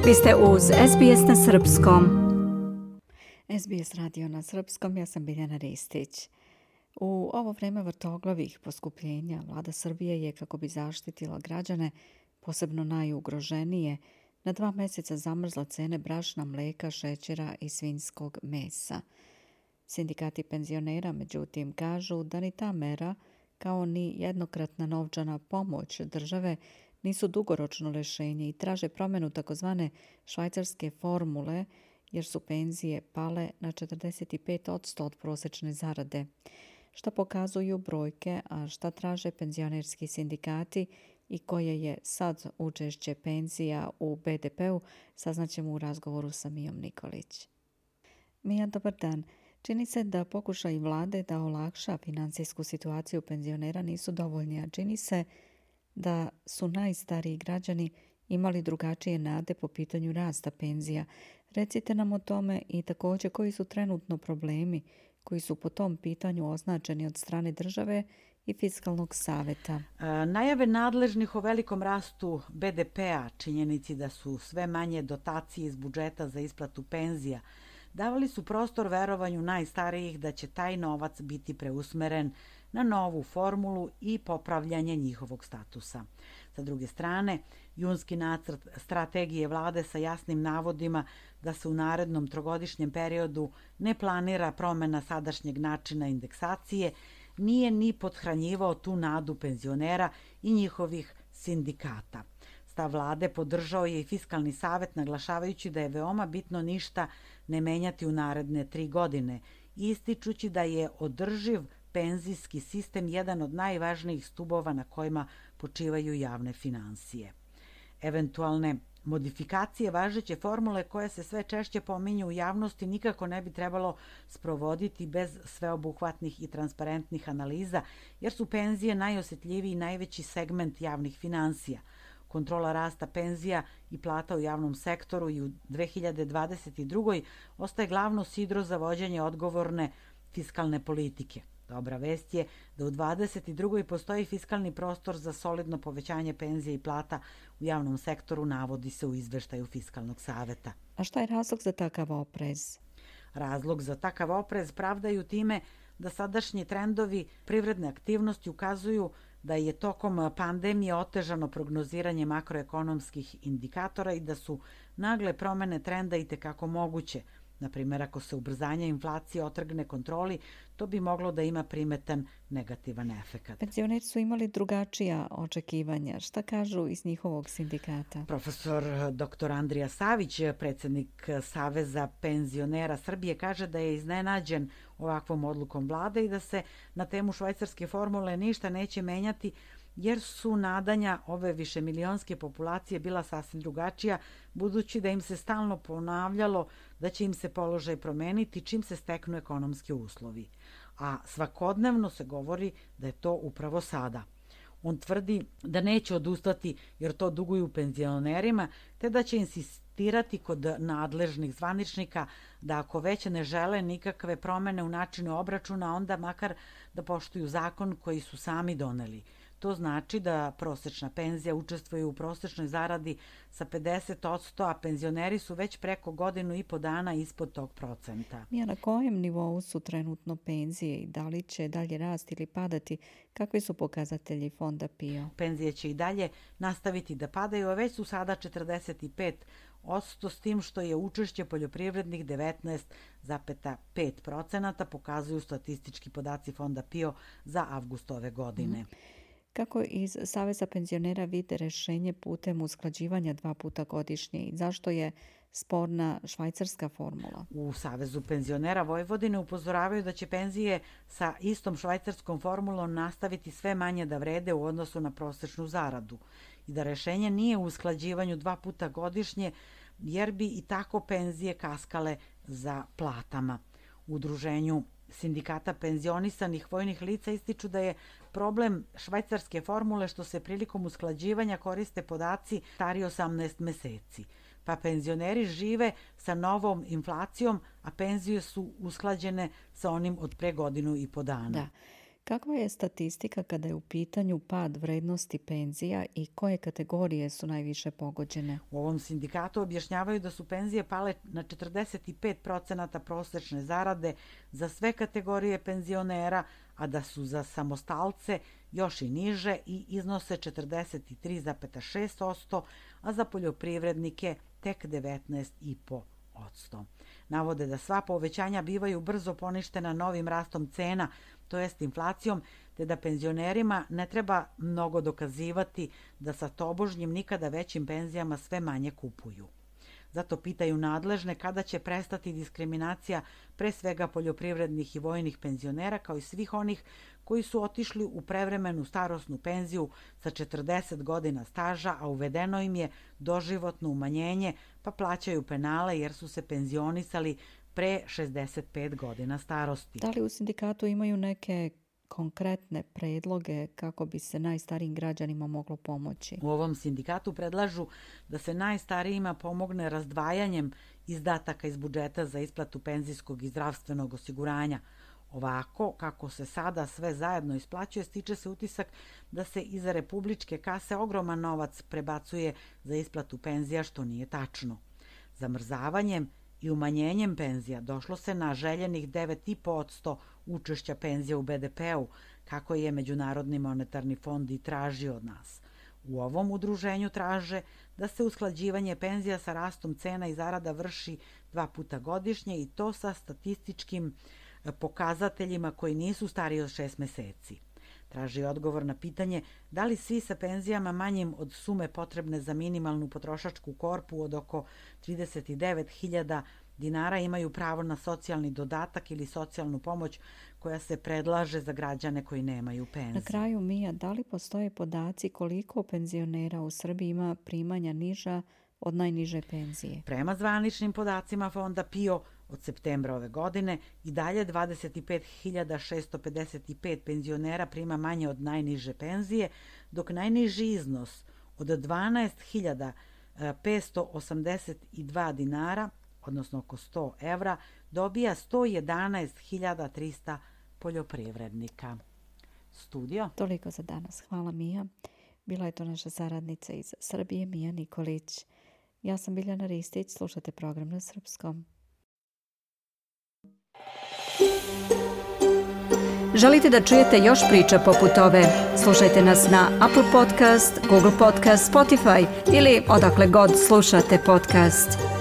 Vi ste uz SBS na Srpskom. SBS radio na Srpskom, ja sam Biljana Ristić. U ovo vreme vrtoglavih poskupljenja vlada Srbije je, kako bi zaštitila građane, posebno najugroženije, na 2 mjeseca zamrzla cene brašna, mlijeka, šećera i svinjskog mesa. Sindikati penzionera, međutim, kažu da ni ta mera, kao ni jednokratna novčana pomoć države, nisu dugoročno rješenje i traže promjenu takozvane švajcarske formule, jer su penzije pale na 45% od prosječne zarade. Šta pokazuju brojke, a šta traže penzionerski sindikati i koje je sad učešće penzija u BDP-u, saznaćemo u razgovoru sa Mijom Nikolić. Mija, dobar dan. Čini se da pokušaj vlade da olakša financijsku situaciju penzionera nisu dovoljni, a čini se da su najstariji građani imali drugačije nade po pitanju rasta penzija. Recite nam o tome i također koji su trenutno problemi koji su po tom pitanju označeni od strane države i Fiskalnog saveta. Najave nadležnih o velikom rastu BDP-a, činjenici da su sve manje dotacije iz budžeta za isplatu penzija, davali su prostor verovanju najstarijih da će taj novac biti preusmeren na novu formulu i popravljanje njihovog statusa. Sa druge strane, junski nacrt strategije vlade sa jasnim navodima da se u narednom trogodišnjem periodu ne planira promjena sadašnjeg načina indeksacije nije ni pothranjivao tu nadu penzionera i njihovih sindikata. Stav vlade podržao je i Fiskalni savet, naglašavajući da je veoma bitno ništa ne menjati u naredne 3 godine, ističući da je održiv penzijski sistem jedan od najvažnijih stubova na kojima počivaju javne finansije. Eventualne modifikacije važeće formule koje se sve češće pominju u javnosti nikako ne bi trebalo sprovoditi bez sveobuhvatnih i transparentnih analiza, jer su penzije najosjetljiviji i najveći segment javnih finansija. Kontrola rasta penzija i plata u javnom sektoru i u 2022. ostaje glavno sidro za vođenje odgovorne fiskalne politike. Dobra vest je da u 2022. postoji fiskalni prostor za solidno povećanje penzija i plata u javnom sektoru, navodi se u izveštaju Fiskalnog saveta. A šta je razlog za takav oprez? Razlog za takav oprez pravdaju time da sadašnji trendovi privredne aktivnosti ukazuju da je tokom pandemije otežano prognoziranje makroekonomskih indikatora i da su nagle promjene trenda itekako moguće. Na primjer, ako se ubrzanje inflacije otrgne kontroli, to bi moglo da ima primetan negativan efekat. Penzioneri su imali drugačija očekivanja. Šta kažu iz njihovog sindikata? Profesor dr. Andrija Savić, predsjednik Saveza penzionera Srbije, kaže da je iznenađen ovakvom odlukom vlade i da se na temu švajcarske formule ništa neće menjati, jer su nadanja ove višemilionske populacije bila sasvim drugačija, budući da im se stalno ponavljalo da će im se položaj promeniti čim se steknu ekonomski uslovi. A svakodnevno se govori da je to upravo sada. On tvrdi da neće odustati jer to duguju penzionerima, te da će insistirati kod nadležnih zvaničnika da ako već ne žele nikakve promjene u načinu obračuna, onda makar da poštuju zakon koji su sami doneli. To znači da prosječna penzija učestvuje u prosječnoj zaradi sa 50%, a penzioneri su već preko 1,5 dana ispod tog procenta. Na kojem nivou su trenutno penzije i da li će dalje rasti ili padati? Kakvi su pokazatelji fonda PIO? Penzije će i dalje nastaviti da padaju, a već su sada 45%, s tim što je učešće poljoprivrednih 19,5%, pokazuju statistički podaci fonda PIO za avgust ove godine. Kako iz Saveza penzionera vide rješenje putem usklađivanja 2 puta godišnje i zašto je sporna švajcarska formula? U Savezu penzionera Vojvodine upozoravaju da će penzije sa istom švajcarskom formulom nastaviti sve manje da vrede u odnosu na prosječnu zaradu i da rješenje nije u usklađivanju 2 puta godišnje, jer bi i tako penzije kaskale za platama. U udruženju sindikata penzionisanih vojnih lica ističu da je problem švajcarske formule što se prilikom usklađivanja koriste podaci stari 18 meseci. Pa penzioneri žive sa novom inflacijom, a penzije su usklađene sa onim od pre 1,5 dana. Da. Kakva je statistika kada je u pitanju pad vrednosti penzija i koje kategorije su najviše pogođene? U ovom sindikatu objašnjavaju da su penzije pale na 45% prosečne zarade za sve kategorije penzionera, a da su za samostalce još i niže i iznose 43,6%, a za poljoprivrednike tek 19,5%. Navode da sva povećanja bivaju brzo poništena novim rastom cena, to jest inflacijom, te da penzionerima ne treba mnogo dokazivati da sa tobožnjim nikada većim penzijama sve manje kupuju. Zato pitaju nadležne kada će prestati diskriminacija pre svega poljoprivrednih i vojnih penzionera kao i svih onih koji su otišli u prevremenu starosnu penziju sa 40 godina staža, a uvedeno im je doživotno umanjenje pa plaćaju penale jer su se penzionisali pre 65 godina starosti. Da li u sindikatu imaju neke konkretne predloge kako bi se najstarijim građanima moglo pomoći? U ovom sindikatu predlažu da se najstarijima pomogne razdvajanjem izdataka iz budžeta za isplatu penzijskog i zdravstvenog osiguranja. Ovako, kako se sada sve zajedno isplaćuje, stiče se utisak da se iza republičke kase ogroman novac prebacuje za isplatu penzija, što nije tačno. Zamrzavanjem i umanjenjem penzija došlo se na željenih 9,5% učešća penzija u BDP-u, kako je Međunarodni monetarni fond i tražio od nas. U ovom udruženju traže da se usklađivanje penzija sa rastom cena i zarada vrši 2 puta godišnje i to sa statističkim pokazateljima koji nisu stariji od 6 meseci. Traži odgovor na pitanje da li svi sa penzijama manjim od sume potrebne za minimalnu potrošačku korpu od oko 39.000 dinara imaju pravo na socijalni dodatak ili socijalnu pomoć koja se predlaže za građane koji nemaju penzije. Na kraju, Mija, da li postoje podaci koliko penzionera u Srbiji ima primanja niža od najniže penzije? Prema zvaničnim podacima fonda PIO od septembra ove godine i dalje 25.655 penzionera prima manje od najniže penzije, dok najniži iznos od 12.582 dinara, odnosno oko 100 evra, dobija 111.300 poljoprivrednika. Studio. Toliko za danas. Hvala, Mija. Bila je to naša saradnica iz Srbije, Mija Nikolić. Ja sam Biljana Ristić, slušate program na srpskom. Želite da čujete još priča poput ove? Slušajte nas na Apple Podcast, Google Podcast, Spotify ili odakle god slušate podcast.